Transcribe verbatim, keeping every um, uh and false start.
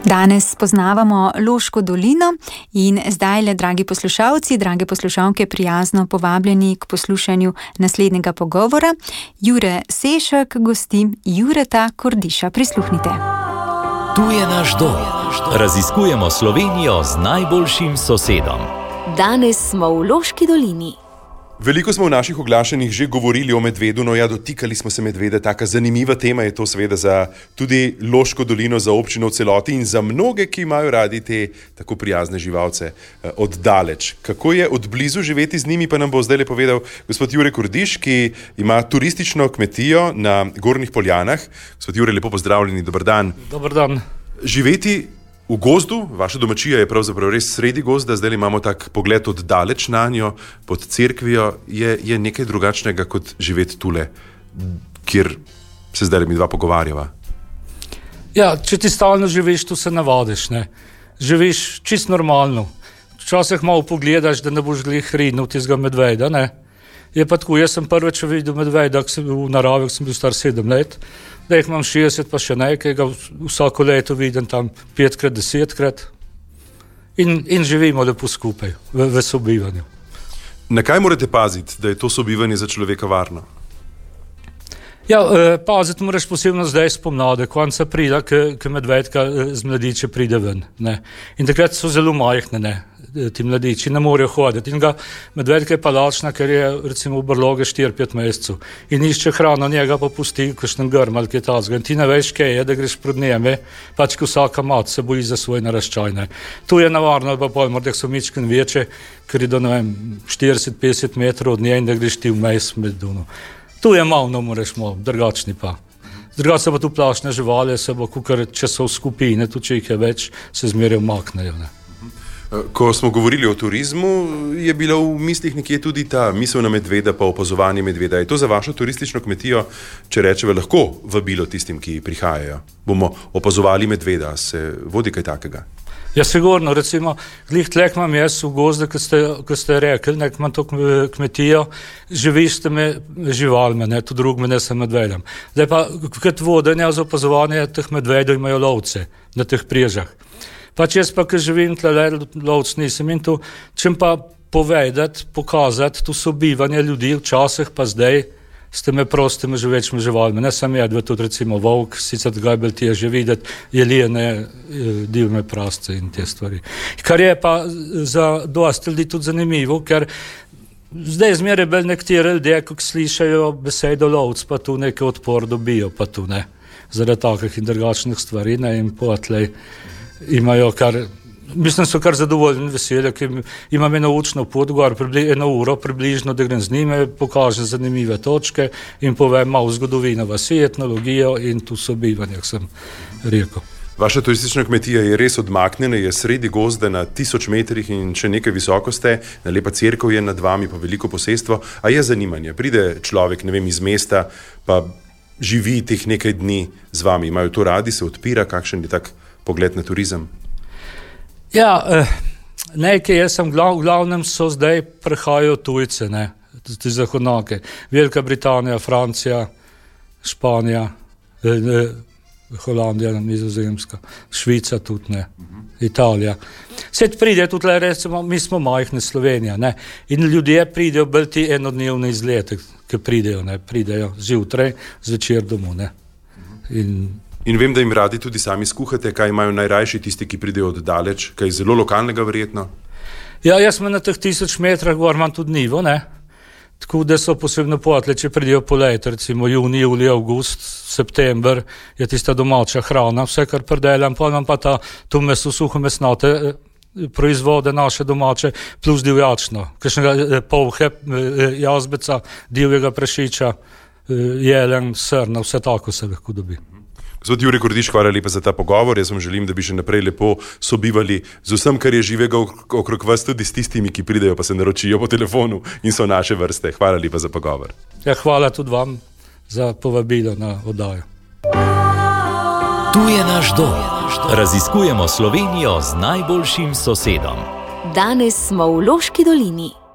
Danes spoznavamo Loško dolino in zdajle, dragi poslušalci, drage poslušalke, prijazno povabljeni k poslušanju naslednjega pogovora. Jure Sešak gosti Jureta Kordiša. Prisluhnite. Tu je naš dom. Raziskujemo Slovenijo z najboljšim sosedom. Danes smo v Loški dolini. Veliko smo v naših oglašanjih že govorili o medvedu, no ja, dotikali smo se medvede. Taka zanimiva tema je to seveda za tudi Loško dolino, za občino v celoti in za mnoge, ki imajo radi te tako prijazne živalce od daleč. Kako je od blizu živeti z njimi, pa nam bo zdaj le povedal gospod Jure Kordiš, ki ima turistično kmetijo na Gornjih Poljanah. Gospod Jure, lepo pozdravljeni, dober dan. Dober dan. Živeti v gozdu, vaša domačija je pravzaprav res sredi gozda, zdaj imamo tak pogled od daleč na njo, pod cerkvijo, je, je nekaj drugačnega kot živeti tule, kjer se zdaj mi dva pogovarjava. Ja, če ti stalno živiš, tu se navadiš, ne. Živiš čist normalno. Včasih malo pogledaš, da ne boš glih rinil tistega medveda, ne. Je pa tako, jaz sem prvič videl medveda, ko sem bil v naravi, ko sem bil star sedem let. Da jih imam šestdeset, pa še nekaj, ga vsako leto vidim tam petkrat, desetkrat in, in živimo lepo skupaj v, v sobivanju. Na kaj morate paziti, da je to sobivanje za človeka varno? Ja, eh, paziti moraš posebno zdaj spomnade, konca pride, ko medvedka z mladiče pride ven, ne. In takrat so zelo majhne, ne, ti mladiči, ne morejo hoditi. In ga medvedka je pa lačna, ker je recimo v brloge štiri pet mesecev in išče hrano, njega pa pusti kakšen grm ali kaj takega. In ti ne veš, kaj je, da greš pred njeme, pač ko vsaka mat se boji za svoj naraščaj, ne. Tu je navarno, ali pa pol, morda so mičken večje, ker je do, ne vem, štirideset petdeset metrov od nje in da greš ti vmes med duno. Tu je malo, no moraš malo, drugačni pa. Drugače pa tu plašne živali, se bo, kukar, če so v skupine, tu če jih je več, se zmeraj umaknejo, ne. Ko smo govorili o turizmu, je bila v mislih nekje tudi ta misel na medveda pa opazovanje medveda. Je to za vašo turistično kmetijo, če rečeva, lahko vabilo tistim, ki prihajajo? Bomo opazovali medveda, se vodi kaj takega? Ja, sigurno, recimo, glih tlek imam jaz v gozdu, ko ste, ko ste rekli, nek imam to kmetijo, živiš s temi živalmi, ne, tu drugme ne sem medvedem. Zdaj pa, kot vodenja za opazovanje teh medvedov imajo lovce na teh priježah. Pač jaz pa, ko živim tle, lovc nisem in tu, čem pa povedati, pokazati tu sobivanje ljudi včasih pa zdaj s temi prostimi živečimi živalmi. Ne sam jedve, tudi recimo volk, sicer ga je bolj težje videti, jelijene, divme prasce in te stvari. Kar je pa za dosti ljudi tudi zanimivo, ker zdaj zmeraj bolj nekateri ljudje, ko slišajo besedo lovc, pa tu nekaj odpor dobijo, pa tu ne. Zaradi takih in drugačnih stvari, ne, in potlej imajo kar, mislim, so kar zadovoljni veselje, ki imam eno učno pot, gor pribli, eno uro približno, da grem z njime, pokažem zanimive točke in povem malo zgodovino vasi, etnologijo in tu sobivanje, sem rekel. Vaša turistična kmetija je res odmaknjena, je sredi gozda na tisoč metrih in še nekaj visoko ste, na lepa cerkev je nad vami, pa veliko posestvo, a je zanimanje, pride človek, ne vem, iz mesta, pa živi teh nekaj dni z vami, imajo to radi, se odpira, kakšen je tak pogled na turizem? Ja, eh, nekaj, jaz sem glav, v glavnem so zdaj prihajajo tujce, ne, ti zahodnjake. Velika Britanija, Francija, Španija, eh, eh, Holandija, Nizozemska, Švica tudi, ne, Italija. Svet pride tudi, recimo, mi smo majhne Slovenija, ne, in ljudje pridejo bolj ti enodnevne izlete, ki pridejo, ne, pridejo zjutraj, zvečer domov, ne. In In vem, da jim radi tudi sami skuhate, kaj imajo najrajši tisti, ki pridejo od daleč, kaj zelo lokalnega verjetno? Ja, jaz sem na teh tisoč metrah gor imam tudi nivo, ne. Tako da so posebno potle, če pridejo poleti, recimo juni, juli, avgust, september, je tista domača hrana, vse kar predelam, pa imam pa ta tu meso, suho mesnate proizvode naše domače, plus divjačno, kakšnega polhe, jazbeca, divjega prašiča, jelen, srna, vse tako se lahko dobi. Gospod Jure Kordiš, hvala lepa za ta pogovor. Jaz vam želim, da bi še naprej lepo sobivali z vsem, kar je živega okrog vas, tudi s tistimi, ki pridejo pa se naročijo po telefonu in so naše vrste. Hvala lepa za pogovor. Ja, hvala tudi vam za povabilo na oddajo. Tu je naš dom. Raziskujemo Slovenijo z najboljšim sosedom. Danes smo v Loški dolini.